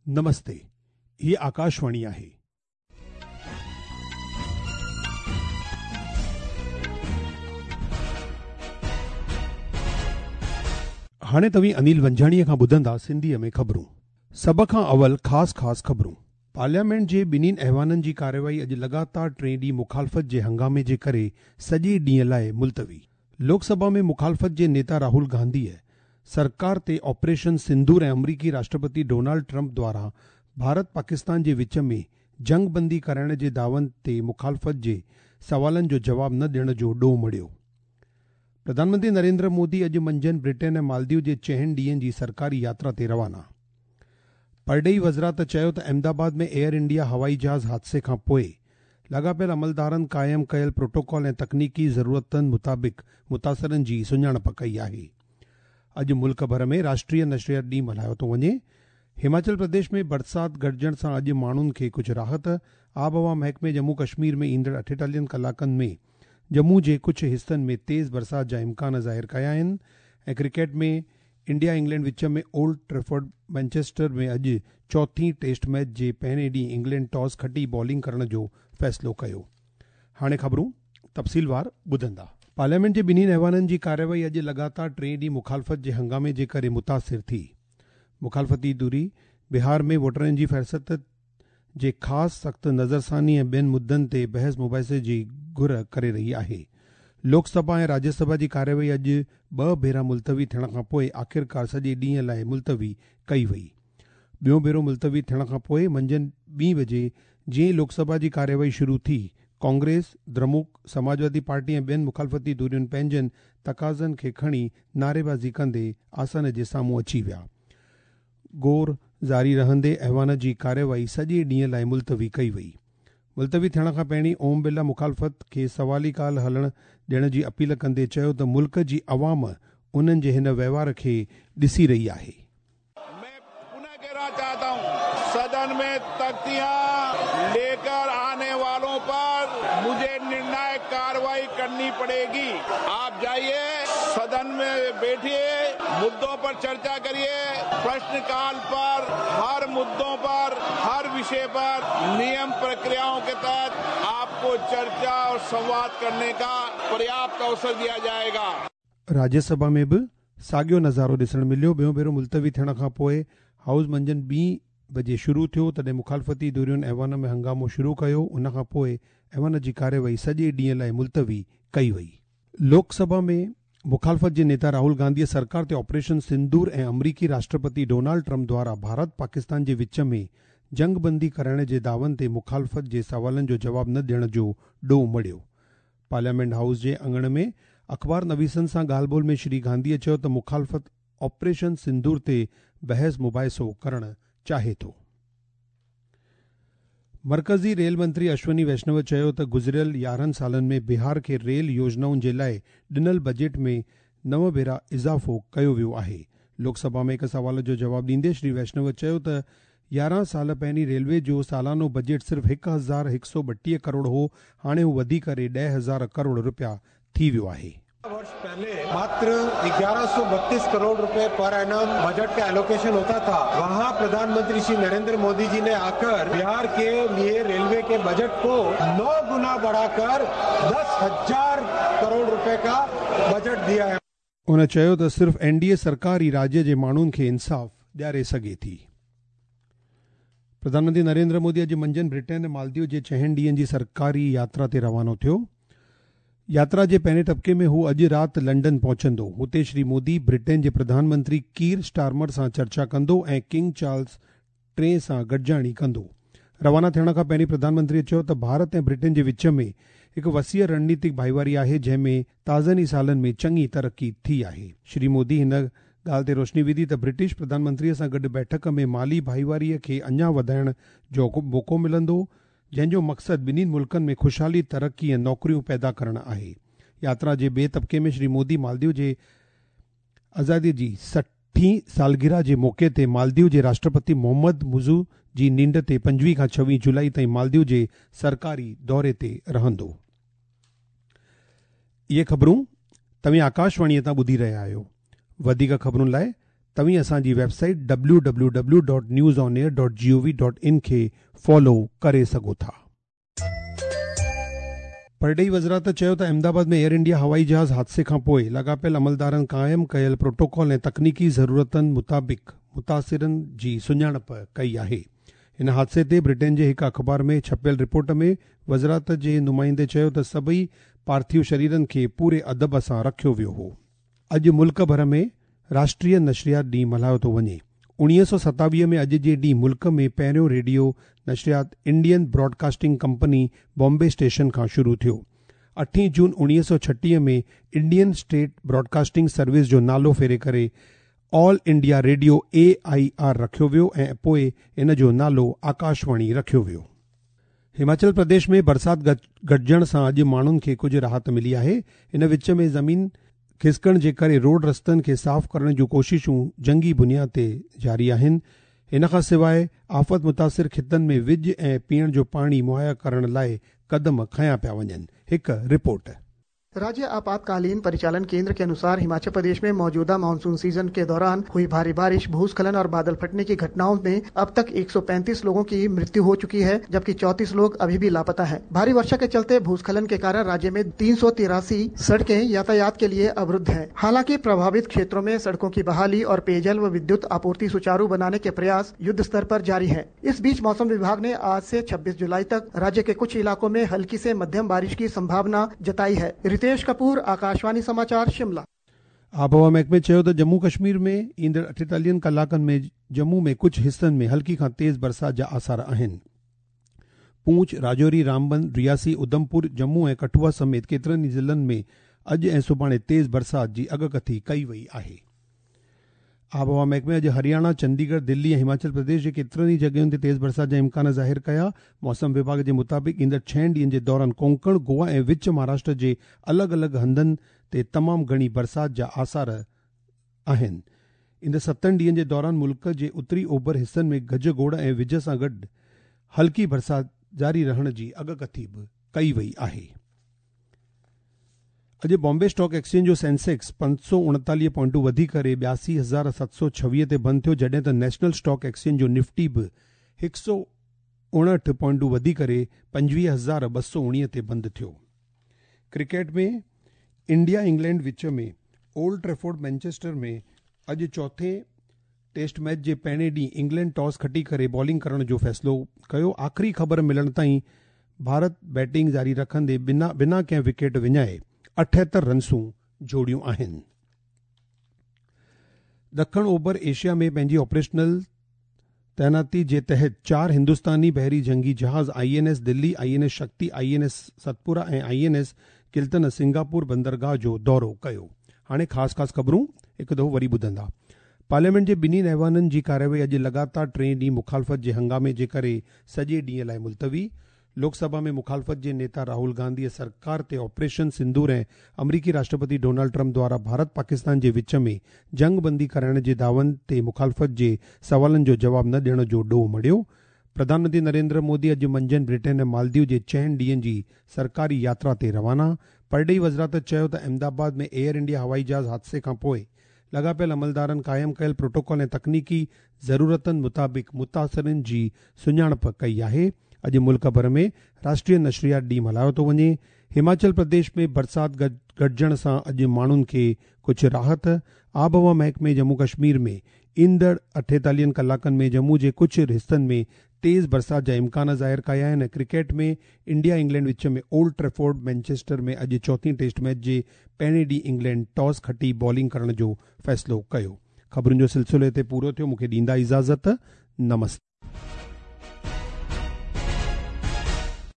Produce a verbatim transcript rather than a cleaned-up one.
नमस्ते, ही आकाशवाणी आहे. हाणे तव्हीं अनिल वंजाणीअ खां ॿुधंदा सिंधीअ में ख़बरूं. सभ खां अवल ख़ासि ख़ासि ख़बरूं. पार्लियामेंट जे ॿिन्हिनि ऐवाननि जी कार्यवाही अॼु लगातार टे ॾींहुं मुखालफ़त जे हंगामे जे करे सॼे ॾींहं लाइ मुलतवी. लोकसभा में मुखालफ़त जे नेता राहुल गांधीअ सरकार ते ऑपरेशन सिंदूर ऐं अमरीकी राष्ट्रपति डोनाल्ड ट्रंप द्वारा भारत पाकिस्तान जे विच में जंगबंदी कराइण जे दावन ते मुखालफ़त जे सवालनि जो जवाब न ॾियण जो ॾोह मढ़ियो. प्रधानमंत्री नरेंद्र मोदी अॼु मंझंदि ब्रिटेन ऐं मालदीव जे चइनि ॾींहंनि जी सरकारी यात्रा ते रवाना. परॾेही वज़ारत चयो त अहमदाबाद में एयर इंडिया हवाई जहाज़ हादसे खां पोइ लाॻापियल अमलदारनि क़ाइमु कयल प्रोटोकॉल ऐं तकनीकी ज़रूरतुनि मुताबिक़ मुतासिरनि जी सुञाणप कई आहे. अॼु मुल्क भर में राष्ट्रीय नशरियात ॾींहुं मल्हायो थो वञे. हिमाचल प्रदेश में बरसाति घटिजण सां अॼु माण्हुनि खे कुझु राहत. आबहवा महकमे जम्मू कश्मीर में ईंदड़ अठेतालीहनि कलाकनि में जम्मू जे कुझु हिसनि में तेज़ बरसाति जा इम्कान ज़ाहिर कया आहिनि. ऐं क्रिकेट में इंडिया इंग्लैंड विच में ओल्ड ट्रेफर्ड मैनचेस्टर में अॼु चौथी टेस्ट मैच जे पहिरें ॾींहुं इंग्लैंड टॉस खटी बॉलिंग करण जो फ़ैसिलो कयो. हाणे ख़बरूं तफ़सीलवार ॿुधंदा. पार्लियामेंट जे ॿिन्हिनि ऐवाननि जी कार्यवाही अॼु लगातार टे ॾींहुं मुखालफ़त जे हंगामे जे करे मुतासिर थी. मुखालफ़ती धुरी बिहार में वोटरनि जी फ़हरिस्त जे ख़ासि सख़्तु नज़रसानी ऐं ॿियनि मुद्दनि ते बहस मुबाहिसे जी घुर करे रही आहे. लोकसभा ऐं राज्यसभा जी कार्यवाही अॼु ॿ भेरा मुलतवी थियण खां पोइ आख़िरकार सॼे ॾींहं लाइ मुलतवी कई वई. ॿियो भेरो मुलतवी थियण खां पोइ मंझंदि ॿी बजे जीअं ई लोकसभा जी कार्यवाही शुरू थी, कांग्रेस, द्रमुक, समाजवादी पार्टी ऐं ॿियनि मुखालफ़ती धुरियुनि पंहिंजनि तक़ाज़नि खे खणी नारेबाज़ी कंदे आसन जे साम्हूं अची विया. गोर जारी रहंदे ऐवान जी कार्यवाही सॼे ॾींहं लाइ मुलतवी कई वई. मुलतवी थियण खां पहिरीं ओम बिरला मुखालफ़त खे सवाली काल हलण ॾियण जी अपील कंदे चयो त मुल्क जी अवाम उन्हनि जे हिन वहिंवार खे ॾिसी रही आहे. मैं पुनः कहना चाहता हूं, सदन में तख्तियां लेकर आने वालों पर मुझे निर्णायक कार्रवाई करनी पड़ेगी. आप जाइए, सदन में बैठिए, मुद्दों पर चर्चा करिए, प्रश्नकाल पर हर मुद्दों पर हर विषय पर नियम प्रक्रियाओं के तहत आपको चर्चा और संवाद करने का पर्याप्त अवसर दिया जाएगा. राज्यसभा में बि साॻियो नज़ारो ॾिसण मिलियो. ॿियो भेरो मुलतवी थियण खां पोइ हाउस मंझंदि ॿी बजे शुरू थियो, तॾहिं मुखालफ़ती धुरियुनि ऐवान में हंगामो शुरू कयो. उन खां पोइ ऐवान जी कार्यवाही सॼे ॾींहं लाइ मुलतवी कई वई. लोकसभा में मुखालफ़त जे नेता राहुल गांधीअ सरकार ते ऑपरेशन सिंदूर ऐं अमरीकी राष्ट्रपति डोनाल्ड ट्रंप द्वारा भारत पाकिस्तान जे विच में जंगबंदी कराइण जे दावन ते मुखालफ़त जे सवालनि जो जवाब न ॾियण जो ॾोह मढ़ियो. पार्लियामेंट हाउस जे आङण में अख़बार नवीसनि सां ॻाल्हि ॿोल में श्री गांधीअ चयो त मुखालफ़त ऑपरेशन सिंदूर ते बहस मुबाहिसो करणु चाहे थो. मरकज़ी रेल मंत्री अश्वनी वैष्णव चयो त गुज़िरियल यारहं सालनि में बिहार खे रेल योजनाउनि जे लाइ ॾिनल बजट में नव भेरा इज़ाफ़ो कयो वियो आहे. लोकसभा में हिकु सवाल जो जवाब ॾींदे श्री वैष्णव चयो त यारहं साल पहिरीं रेलवे जो सालानो बजट सिर्फ़ु हिकु हज़ार हिकु सौ ॿटीह करोड़ हो, हाणे हू वधी करे ॾह हज़ार करोड़ रुपया थी वियो आहे. वर्ष पहले मात्र ग्यारह सौ बत्तीस करोड़ रुपए पर एनम बजट का एलोकेशन होता था, वहां प्रधानमंत्री श्री नरेंद्र मोदी जी ने आकर बिहार के लिए रेलवे के बजट को नौ गुना बढ़ाकर दस हजार करोड़ रुपए का बजट दिया है. उन चयो त सिर्फ़ एनडीए सरकार ई राज्य जे माण्हुनि खे इंसाफ़ ॾियारे सघे थी. प्रधानमंत्री नरेंद्र मोदी अॼु मंझंदि ब्रिटेन ऐं मालदीव जे चइनि ॾींहंनि जी सरकारी यात्रा ते रवानो थियो. यात्रा जे पहिरें तबिके में हू अॼु राति लंडन पहुचंदो. हुते श्री मोदी ब्रिटेन जे प्रधानमंत्री कीर स्टारमर सां चर्चा कंदो ऐं किंग चार्ल्स टे सां गॾिजाणी कंदो. रवाना थियण खां पहिरीं प्रधानमंत्रीअ चयो त भारत ऐं ब्रिटेन जे विच में हिकु वसीअ रणनीतिक भाईवारी आहे, जंहिंमें ताज़नि ई सालनि में चङी तरक़ी थी आहे. श्री मोदी हिन ॻाल्हि ते रोशनी विधी त ब्रिटिश प्रधानमंत्रीअ सां गॾु बैठक में माली भाईवारीअ खे अञा वधाइण जो मौक़ो मिलंदो, जंहिंजो मक़सदु ॿिन्हिनि मुल्कनि में ख़ुशहाली, तरक़ी ऐं नौकरियूं पैदा करणु आहे. यात्रा जे ॿिए तबिके में श्री मोदी मालदीव जे आज़ादीअ जी सठी सालगिरह जे मौक़े ते मालदीव जे राष्ट्रपति मोहम्मद मुज़ू जी निंड ते पंजवीह खां छवीह जुलाई ताईं मालदीव जे सरकारी दौरे ते रहंदो. इहे ख़बरूं तव्हीं आकाशवाणीअ तां ॿुधी रहिया आहियो. वधीक ख़बरुनि लाइ तव्हीं असांजी website W W W dot news on air dot G O V dot in खे फॉलो करे सघो था। परॾेही वज़ारत चयो त अहमदाबाद में एयर इंडिया हवाई जहाज़ हादसे खां पोइ लाॻापियल अमलदारनि क़ाइमु कयल प्रोटोकॉल ऐं तकनीकी ज़रूरतनि मुताबिक़ मुतासिरनि जी सुञाणप कई आहे। हिन हादसे ते ब्रिटेन जे हिकु अख़बार में छपियल रिपोर्ट में वज़ारत जे नुमाइंदे चयो त सभई पार्थिव शरीरनि खे पूरे अदब सां रखियो वियो हो। अॼु मुल्क भर में राष्ट्रीय नशरियात ॾींहुं मल्हायो थो वञे। उणिवीह सौ सतावीह में अॼु जे ॾींहुं मुल्क में पहिरियों radio नशरियात Indian broadcasting company Bombay station खां शुरू थियो। अठीं जून उणिवीह सौ छटीह में इंडियन स्टेट ब्रॉडकास्टिंग सर्विस जो नालो फेरे करे all India radio A I R रखियो वियो ऐं पोइ इन जो नालो आकाशवाणी रखियो वियो। हिमाचल प्रदेश में बरसाति घटिजण सां अॼु माण्हुनि खे कुझु राहत मिली आहे। इन विच में ज़मीन खिसकण जे करे रोड रस्तनि खे साफ़ करण जूं कोशिशूं जंगी बुनियाद ते जारी आहिनि। इन खां सवाइ आफ़त मुतासिर ख़ितनि में विज ऐं पीअण जो पाणी मुहैया करण लाइ कदम खयां पिया वञनि। हिकु रिपोर्ट। राज्य आपातकालीन परिचालन केंद्र के अनुसार हिमाचल प्रदेश में मौजूदा मानसून सीजन के दौरान हुई भारी बारिश, भूस्खलन और बादल फटने की घटनाओं में अब तक एक सौ पैंतीस लोगों की मृत्यु हो चुकी है, जबकि चौंतीस लोग अभी भी लापता हैं। भारी वर्षा के चलते भूस्खलन के कारण राज्य में तीन सौ तिरासी सड़कें यातायात के लिए अवरुद्ध हैं। हालांकि प्रभावित क्षेत्रों में सड़कों की बहाली और पेयजल व विद्युत आपूर्ति सुचारू बनाने के प्रयास युद्ध स्तर पर जारी है। इस बीच मौसम विभाग ने आज से छब्बीस जुलाई तक राज्य के कुछ इलाकों में हल्की से मध्यम बारिश की संभावना जताई है। रितेश कपूर, आकाशवाणी समाचार, शिमला। आबहवा महकमे चयो त जम्मू कश्मीर में ईंदड़ अठेतालीहनि कलाकनि में जम्मू में कुझु हिसनि में हल्की खां तेज़ बरसाति जा आसार आहिनि। पूंछ, राजौरी, रामबन, रियासी, उधमपुर, जम्मू ऐं कठुआ समेत केतिरनि ई ज़िलनि में अॼु ऐं सुभाणे तेज़ बरसाति जी अॻकथी कई वई आहे। आबहवा महकमे अॼु हरियाणा, चंडीगढ़, दिल्ली ऐं हिमाचल प्रदेश जे केतिरनि ई जॻहियुनि ते तेज़ बरसाति जा इम्कान ज़ाहिर कया। मौसम विभाग जे मुताबिक़ ईंदड़ छहनि ॾींहनि जे दौरान कोंकण, गोवा ऐं विच महाराष्ट्र जे अलॻि अलॻि हंधनि ते तमामु घणी बरसाति जा आसार आहिनि। ईंदड़ सतनि ॾींहनि जे दौरान मुल्क जे उत्तरी ओभर हिसनि में गज-गोड़ ऐं विज सां गॾु हल्की बरसाति जारी रहण जी अॻकथी बि कई वई आहे। अॼु बॉम्बे स्टॉक एक्सचेंज जो सेंसेक्स पंज सौ उणेतालीह पॉइंटूं वधी करे ॿियासी हज़ार सत सौ छवीह ते बंदि थियो, जॾहिं त नेशनल स्टॉक एक्सचेंज जो निफ्टी बि हिकु सौ उणहठि पॉइंटूं वधी करे पंजवीह हज़ार ॿ सौ उणीह ते बंदि थियो। क्रिकेट में इंडिया इंग्लैंड विच में ओल्ड ट्रेफोर्ड मैनचेस्टर में अॼु चौथे टेस्ट मैच जे पहिरें ॾींहुं इंग्लैंड टॉस खटी करे बॉलिंग करण जो फ़ैसिलो कयो। आख़िरी ख़बर मिलण ताईं भारत बैटिंग जारी रखंदे बिना बिना कंहिं विकेट विञाए अठहतरि रनसूं जोड़ियूं आहिनि। ॾखण ओभर एशिया में पंहिंजी ऑपरेशनल तैनाती जे तहत चार हिंदुस्तानी बहरी जंगी जहाज़ I N S Delhi, I N S Shakti, I N S Satpura ऐं I N S Kiltan Singapore बंदरगाह जो दौरो कयो। हाणे ख़ासि ख़ासि ख़बरूं हिकु दफ़ो वरी ॿुधंदा। पार्लियामेंट जे ॿिन्ही ऐवाननि जी कार्यवाही अॼु लगातार टे ॾींहुं मुखालफ़त जे हंगामे जे करे सॼे ॾींहं लाइ मुलतवी। लोकसभा में मुखालफ़त जे नेता राहुल गांधी सरकार ते ऑपरेशन सिंदूर ऐं अमरीकी राष्ट्रपति डोनाल्ड ट्रंप द्वारा भारत पाकिस्तान जे विच में जंगबंदी कराइण जे दावन ते मुखालफ़त जे सवालनि जो जवाब न ॾियण जो ॾोह मढ़ियो। प्रधानमंत्री नरेंद्र मोदी अॼु मंझंदि ब्रिटेन ऐं मालदीव जे चइनि ॾींहनि जी सरकारी यात्रा ते रवाना। परॾेही वज़ारत चयो त अहमदाबाद में एयर इंडिया हवाई जहाज़ हादसे खां पोइ लाॻापियल अमलदारनि क़ाइमु कयल प्रोटोकॉल ऐं तकनीकी ज़रूरतनि मुताबिक़ मुतासिरनि जी सुञाणप कई आहे। अॼु मुल्क भर में राष्ट्रीय नशरियात ॾींहुं मल्हायो थो वञे। हिमाचल प्रदेश में बरसाति घटिजण सां अॼु माण्हुनि खे कुझु राहत। आबहवा महकमे जम्मू कश्मीर में ईंदड़ अठेतालीहनि कलाकनि में जम्मू जे कुझु हिसनि में तेज़ बरसाति जा इम्कान ज़ाहिर कया आहिनि। क्रिकेट में इंडिया इंग्लैंड विच में ओल्ड ट्रेफोर्ड मैनचेस्टर में अॼु चौथी टेस्ट मैच जे पहिरें ॾींहुं इंग्लैंड टॉस खटी बॉलिंग करण जो फ़ैसिलो कयो। ख़बरुनि जो सिलसिलो हिते पूरो थियो। मूंखे ॾींदा इजाज़त। नमस्ते।